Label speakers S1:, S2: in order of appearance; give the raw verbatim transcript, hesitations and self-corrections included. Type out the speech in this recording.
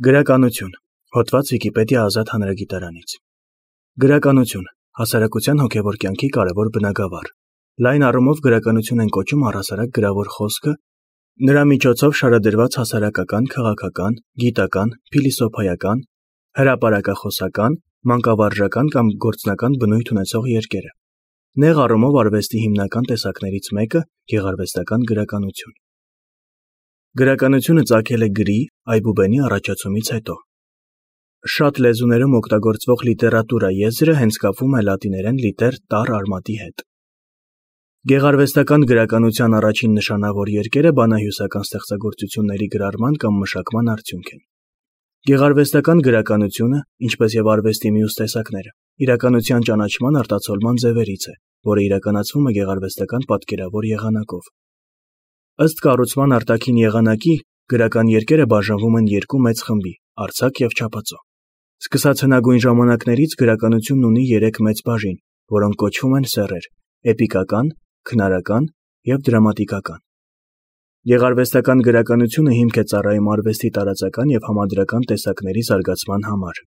S1: Գրականություն, հոդված Վիկիպեդիա ազատ հանրագիտարանից։ Գրականություն, հասարակության հոգևոր կյանքի կարևոր բնագավառ։ Լայն առումով գրականություն են կոչում առհասարակ գրավոր խոսքը, նրա միջոցով շարադրված հասարակական, քաղաքական, գիտական, փիլիսոփայական, հրապարակախոսական, մանկավարժական կամ գործնական բնույթ ունեցող երկերը։ Նեղ առումով արվեստի հիմնական տեսակներից մեկը գեղարվեստական գրականություն։ Գրականությունը ծագել է գրի, այբուբենի առաջացումից հետո։ Շատ լեզուներում օգտագործվող լիտերատուրա եզրը հենց կապվում է լատիներեն լիտեր տար արմատի հետ։ Գեղարվեստական գրականության առաջին նշանավոր երկերը բանահյուսական ստեղծագործությունների գրառման կամ մշակման արդյունք են։ Գեղարվեստական գրականությունը, ինչպես եւ արվեստի մյուս տեսակները, իրականության ճանաչման արտացոլման ձևերից է, որը իրականացվում է գեղարվեստական պատկերավոր եղանակով։ Ըստ կառուցման արտաքին եղանակի, գրական երկերը բաժանվում են երկու մեծ խմբի՝ արձակ եւ չափածո։ Սկսած հնագույն ժամանակներից գրականությունն ունի երեք մեծ բաժին, որոնք կոչվում են սեռեր՝ էպիկական, քնարական եւ դրամատիկական։ Գեղարվեստական գրականությունը հիմք է ծառայում արվեստի տարածական եւ համադրական տեսակների զարգացման համար։